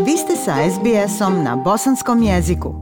Vi ste sa SBS-om na bosanskom jeziku.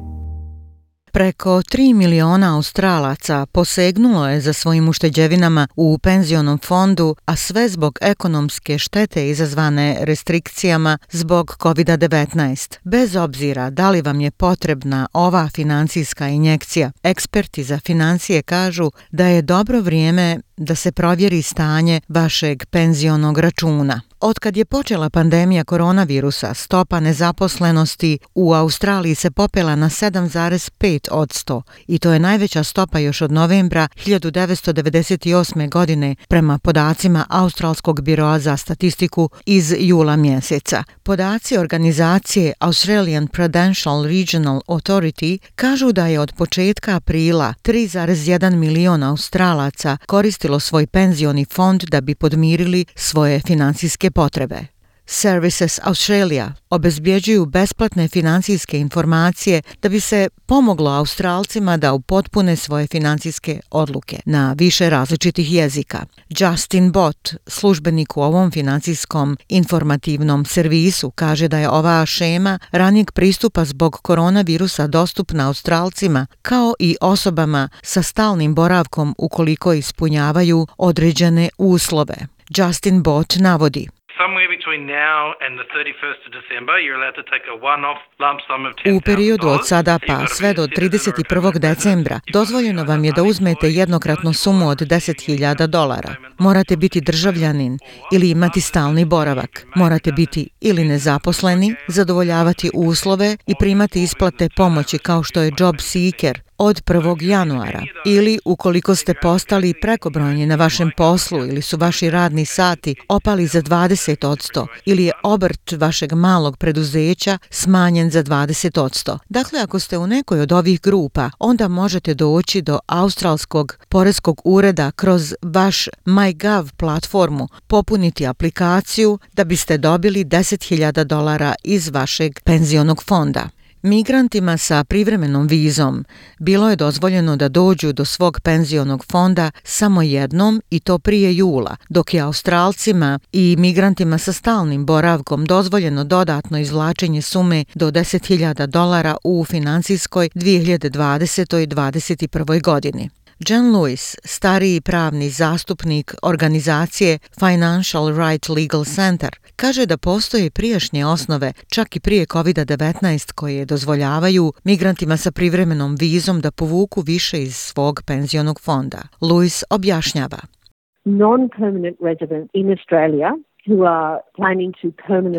Preko 3 miliona Australaca posegnulo je za svojim ušteđevinama u penzionom fondu, a sve zbog ekonomske štete izazvane restrikcijama zbog COVID-19. Bez obzira da li vam je potrebna ova financijska injekcija, eksperti za financije kažu da je dobro vrijeme da se provjeri stanje vašeg penzionog računa. Otkad je počela pandemija koronavirusa, stopa nezaposlenosti u Australiji se popela na 7,5% i to je najveća stopa još od novembra 1998. godine prema podacima Australskog biroa za statistiku iz jula mjeseca. Podaci organizacije Australian Prudential Regional Authority kažu da je od početka aprila 3,1 milion Australaca koristilo svoj penzioni fond da bi podmirili svoje financijske potrebe. Services Australia obezbjeđuju besplatne financijske informacije da bi se pomoglo Australcima da upotpune svoje financijske odluke na više različitih jezika. Justin Bott, službenik u ovom financijskom informativnom servisu, kaže da je ova šema ranijeg pristupa zbog koronavirusa dostupna Australcima kao i osobama sa stalnim boravkom ukoliko ispunjavaju određene uslove. Justin Bott navodi: U periodu od sada pa sve do 31. decembra dozvoljeno vam je da uzmete jednokratnu sumu od $10,000. Morate biti državljanin ili imati stalni boravak. Morate biti ili nezaposleni, zadovoljavati uslove i primati isplate pomoći kao što je Job Seeker od 1. januara. Ili ukoliko ste postali prekobrojni na vašem poslu ili su vaši radni sati opali za 20% ili je obrt vašeg malog preduzeća smanjen za 20%. Dakle, ako ste u nekoj od ovih grupa, onda možete doći do Australskog poreskog ureda kroz vaš MyGov platformu, popuniti aplikaciju da biste dobili $10,000 iz vašeg penzionog fonda. Migrantima sa privremenom vizom bilo je dozvoljeno da dođu do svog penzionog fonda samo jednom i to prije jula, dok je Australcima i migrantima sa stalnim boravkom dozvoljeno dodatno izvlačenje sume do $10,000 u financijskoj 2020-2021. godini. Jen Lewis, stariji pravni zastupnik organizacije Financial Right Legal Center, kaže da postoje prijašnje osnove, čak i prije COVID-19, koje dozvoljavaju migrantima sa privremenom vizom da povuku više iz svog penzionog fonda. Lewis objašnjava: Non-permanent resident in Australia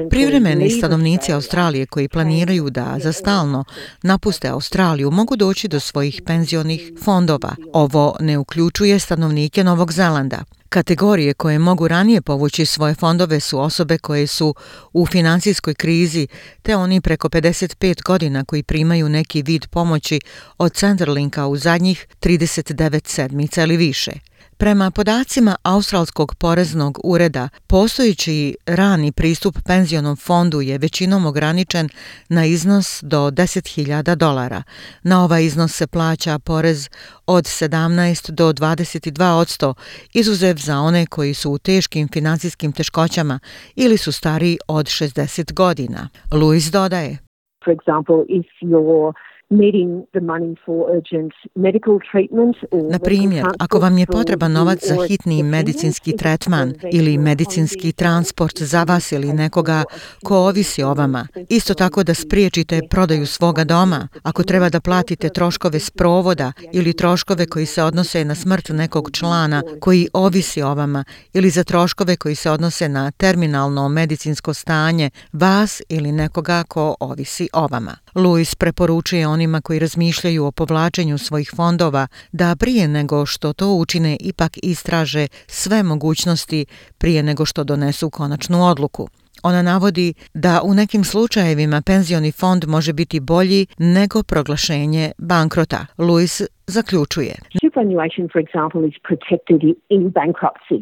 Privremeni stanovnici Australije koji planiraju da za stalno napuste Australiju mogu doći do svojih penzionih fondova. Ovo ne uključuje stanovnike Novog Zelanda. Kategorije koje mogu ranije povući svoje fondove su osobe koje su u financijskoj krizi, te oni preko 55 godina koji primaju neki vid pomoći od Centrelinka u zadnjih 39 sedmica ili više. Prema podacima Australskog poreznog ureda, postojeći rani pristup penzionom fondu je većinom ograničen na iznos do $10,000. Na ovaj iznos se plaća porez od 17 do 22%, izuzev za one koji su u teškim financijskim teškoćama ili su stariji od 60 godina. Lewis dodaje: For example, if you're needing the money for urgent medical treatment Na primjer, ako vam je potreban novac za hitni medicinski tretman ili medicinski transport za vas ili nekoga ko ovisi o vama, isto tako da spriječite prodaju svoga doma, ako treba da platite troškove sprovoda ili troškove koji se odnose na smrt nekog člana koji ovisi o vama ili za troškove koji se odnose na terminalno medicinsko stanje vas ili nekoga ko ovisi o vama. Lewis preporučuje onima koji razmišljaju o povlačenju svojih fondova da prije nego što to učine ipak istraže sve mogućnosti prije nego što donesu konačnu odluku. Ona navodi da u nekim slučajevima penzioni fond može biti bolji nego proglašenje bankrota. Lewis Zaključuje. Superannuation, for example, is protected in bankruptcy.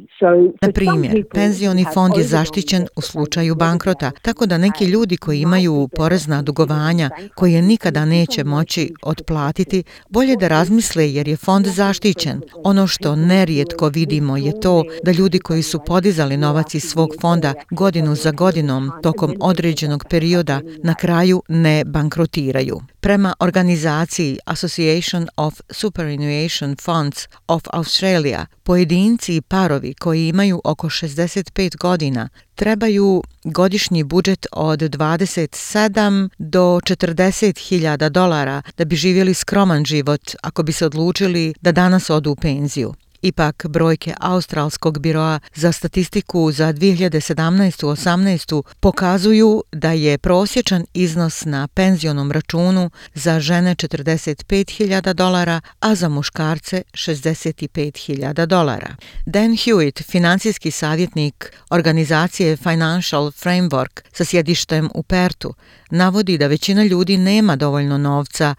Na primjer, penzioni fond je zaštićen u slučaju bankrota, tako da neki ljudi koji imaju porezna dugovanja koje nikada neće moći otplatiti, bolje da razmisle jer je fond zaštićen. Ono što nerijetko vidimo je to da ljudi koji su podizali novac iz svog fonda godinu za godinom tokom određenog perioda na kraju ne bankrotiraju. Prema organizaciji Association of Superannuation Funds of Australia, pojedinci i parovi koji imaju oko 65 godina trebaju godišnji budžet od 27 do 40.000 dolara da bi živjeli skroman život ako bi se odlučili da danas odu u penziju. Ipak, brojke Australskog biroa za statistiku za 2017-18 pokazuju da je prosječan iznos na penzionom računu za žene 45.000 dolara, a za muškarce 65.000 dolara. Dan Hewitt, financijski savjetnik organizacije Financial Framework sa sjedištem u Pertu, navodi da većina ljudi nema dovoljno novca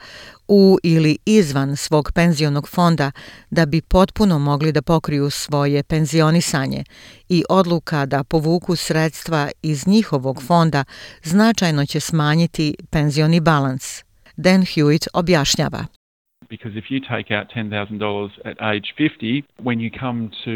u ili izvan svog penzionog fonda da bi potpuno mogli da pokriju svoje penzionisanje i odluka da povuku sredstva iz njihovog fonda značajno će smanjiti penzioni balans. Dan Hewitt objašnjava. Because if you take out $10,000 at age 50, when you come to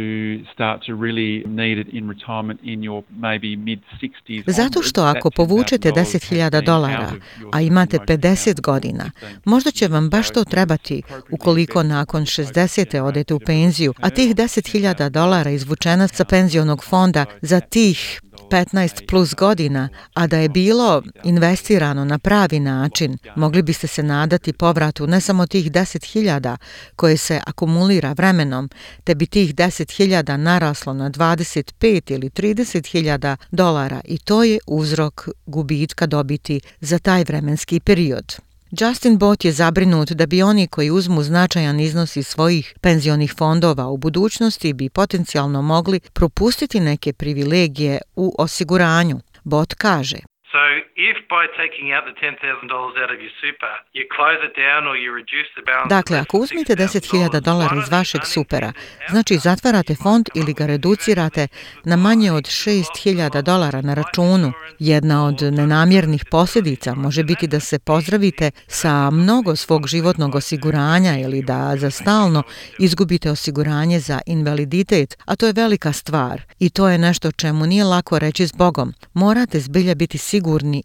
start to really need it in retirement in your maybe mid-60s... Zato što ako povučete $10,000, a imate 50 godina, možda će vam baš to trebati ukoliko nakon 60. odete u penziju, a tih $10,000 izvučena sa penzionog fonda za tih 15 plus godina, a da je bilo investirano na pravi način, mogli biste se nadati povratu ne samo tih 10.000 koje se akumulira vremenom, te bi tih 10.000 naraslo na 25 ili 30.000 dolara i to je uzrok gubitka dobiti za taj vremenski period. Justin Bott je zabrinut da bi oni koji uzmu značajan iznos iz svojih penzionih fondova u budućnosti bi potencijalno mogli propustiti neke privilegije u osiguranju. Bott kaže: So if by taking out the $10,000 out of your super, you close it down or you reduce the balance... Dakle, ako uzmete $10,000 iz vašeg supera, znači zatvarate fond ili ga reducirate na manje od $6,000 na računu, jedna od nenamjernih posljedica može biti da se pozdravite sa mnogo svog životnog osiguranja ili da za stalno izgubite osiguranje za invaliditet, a to je velika stvar i to je nešto čemu nije lako reći zbogom. Morate zbilja biti sigurni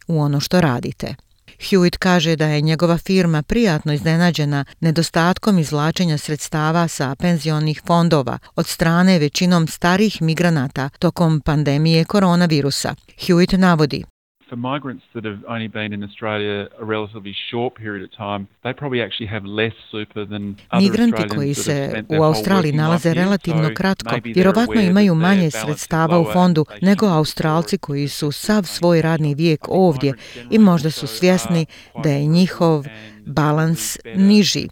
u ono što radite. Hewitt kaže da je njegova firma prijatno iznenađena nedostatkom izvlačenja sredstava sa penzionih fondova od strane većinom starih migranata tokom pandemije koronavirusa. Hewitt navodi: For migrants that have only been in Australia a relatively short period of time, they probably actually have less super than other Migranti koji se u Australiji nalaze relativno kratko, vjerovatno imaju manje sredstava u fondu nego Australci koji su sav svoj radni vijek ovdje i možda su svjesni da je njihov balans niži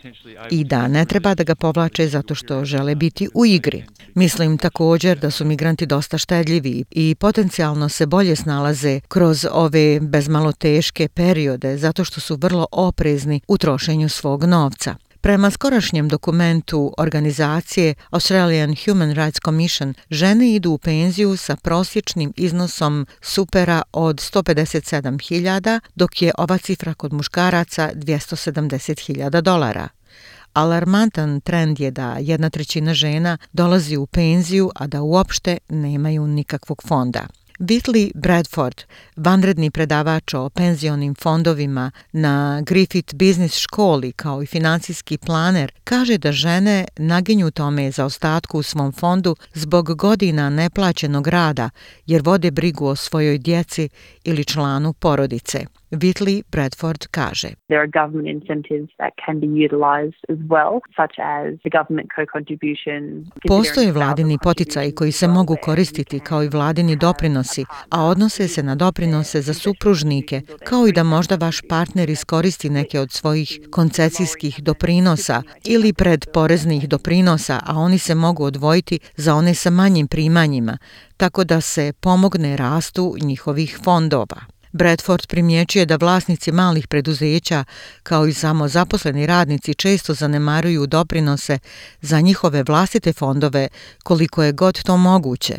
i da ne treba da ga povlače zato što žele biti u igri. Mislim također da su migranti dosta štedljivi i potencijalno se bolje snalaze kroz ove bezmalo teške periode zato što su vrlo oprezni u trošenju svog novca. Prema skorašnjem dokumentu organizacije Australian Human Rights Commission, žene idu u penziju sa prosječnim iznosom supera od 157.000, dok je ova cifra kod muškaraca $270.000. Alarmantan trend je da 1/3 žena dolazi u penziju, a da uopšte nemaju nikakvog fonda. Whitley Bradford, vanredni predavač o penzionim fondovima na Griffith Business školi kao i financijski planer, kaže da žene naginju tome zaostatku u svom fondu zbog godina neplaćenog rada jer vode brigu o svojoj djeci ili članu porodice. Whitley Bradford kaže: There are government incentives that can be utilized as well, such as the government co-contribution. Postoje vladini poticaji koji se mogu koristiti kao i vladini doprinosi, a odnose se na doprinose za supružnike, kao i da možda vaš partner iskoristi neke od svojih koncesijskih doprinosa ili predporeznih doprinosa, a oni se mogu odvojiti za one sa manjim primanjima, tako da se pomogne rastu njihovih fondova. Bradford primjećuje da vlasnici malih preduzeća, kao i samozaposleni radnici, često zanemaruju doprinose za njihove vlastite fondove koliko je god to moguće.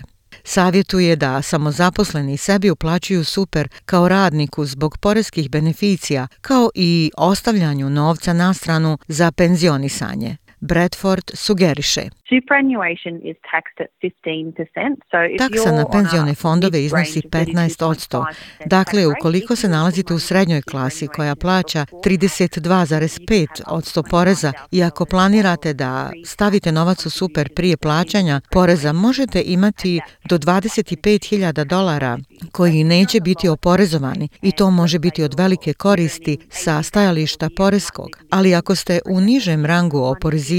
Savjetuje da samozaposleni sebi uplaćuju super kao radniku zbog poreskih beneficija, kao i ostavljanju novca na stranu za penzionisanje. Bradford sugeriše. Superannuation is taxed at 15%. So if Taksa na penzione fondove iznosi 15%. Dakle, ukoliko se nalazite u srednjoj klasi koja plaća 32,5% poreza i ako planirate da stavite novac u super prije plaćanja poreza, možete imati do $25,000 koji neće biti oporezovani i to može biti od velike koristi sa stajališta poreskog. Ali ako ste u nižem rangu oporezivanja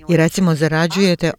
i recimo zarađujete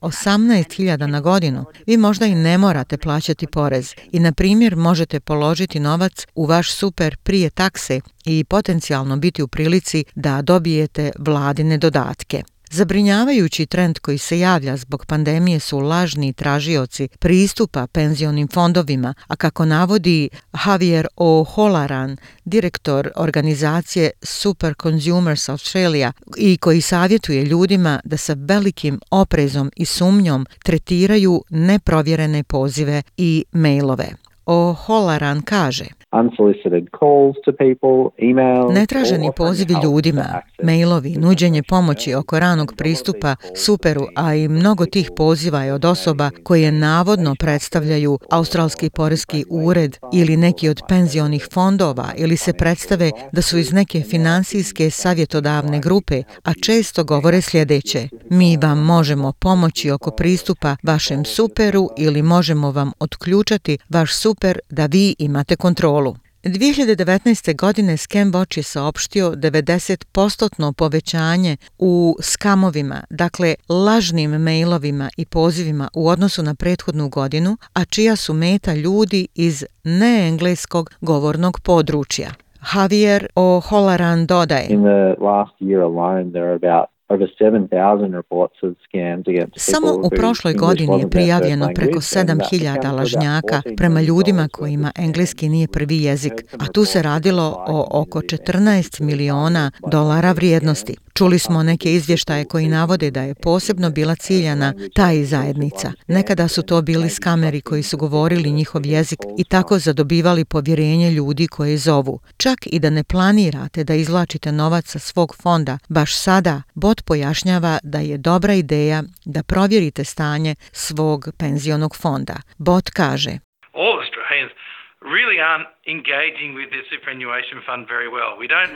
18.000 na godinu, vi možda i ne morate plaćati porez i na primjer možete položiti novac u vaš super prije takse i potencijalno biti u prilici da dobijete vladine dodatke. Zabrinjavajući trend koji se javlja zbog pandemije su lažni tražioci pristupa penzionim fondovima, a kako navodi Javier O'Halloran, direktor organizacije Super Consumers Australia i koji savjetuje ljudima da sa velikim oprezom i sumnjom tretiraju neprovjerene pozive i mailove. O'Halloran kaže: netraženi pozivi ljudima, mailovi, nuđenje pomoći oko ranog pristupa superu, a i mnogo tih poziva je od osoba koje navodno predstavljaju Australski poreski ured ili neki od penzionih fondova ili se predstave da su iz neke finansijske savjetodavne grupe, a često govore sljedeće: mi vam možemo pomoći oko pristupa vašem superu ili možemo vam otključati vaš super da vi imate kontrolu. 2019. godine ScamWatch je saopštio 90% povećanje u skamovima, dakle lažnim mailovima i pozivima u odnosu na prethodnu godinu, a čija su meta ljudi iz neengleskog govornog područja. Javier O'Halloran dodaje: In the last year alone, there are about over 7,000 reports of scams against people. Samo u prošloj godini je prijavljeno preko 7.000 lažnjaka prema ljudima kojima engleski nije prvi jezik, a tu se radilo o oko $14 miliona vrijednosti. Čuli smo neke izvještaje koji navode da je posebno bila ciljana taj zajednica. Nekada su to bili skameri koji su govorili njihov jezik i tako zadobivali povjerenje ljudi koje zovu. Čak i da ne planirate da izvlačite novac sa svog fonda, baš sada bot pojašnjava da je dobra ideja da provjerite stanje svog penzionog fonda. Bot kaže: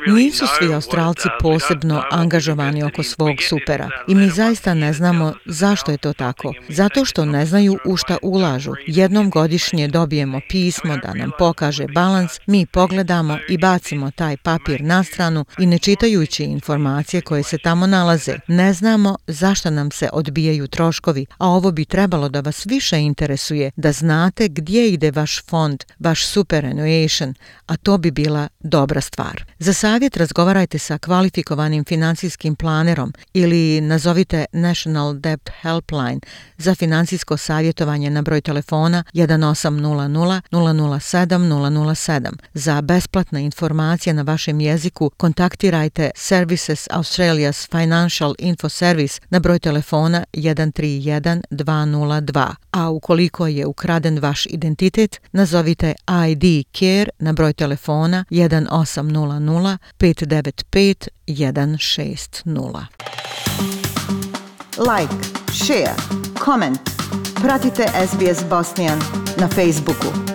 nisu svi Australci posebno angažovani oko svog supera i mi zaista ne znamo zašto je to tako. Zato što ne znaju u šta ulažu. Jednom godišnje dobijemo pismo da nam pokaže balans, mi pogledamo i bacimo taj papir na stranu i ne čitajući informacije koje se tamo nalaze, ne znamo zašto nam se odbijaju troškovi, a ovo bi trebalo da vas više interesuje, da znate gdje ide vaš fond, vaš superannuation, a to bi bila dobra stvar. Za savjet razgovarajte sa kvalifikovanim financijskim planerom ili nazovite National Debt Helpline za financijsko savjetovanje na broj telefona 1800 007 007. Za besplatne informacije na vašem jeziku kontaktirajte Services Australia's Financial Info Service na broj telefona 131 202. A ukoliko je ukraden vaš identitet, nazovite ID Care na broj telefona 1800 595 160. Like, share, comment. Pratite SBS Bosnian na Facebooku.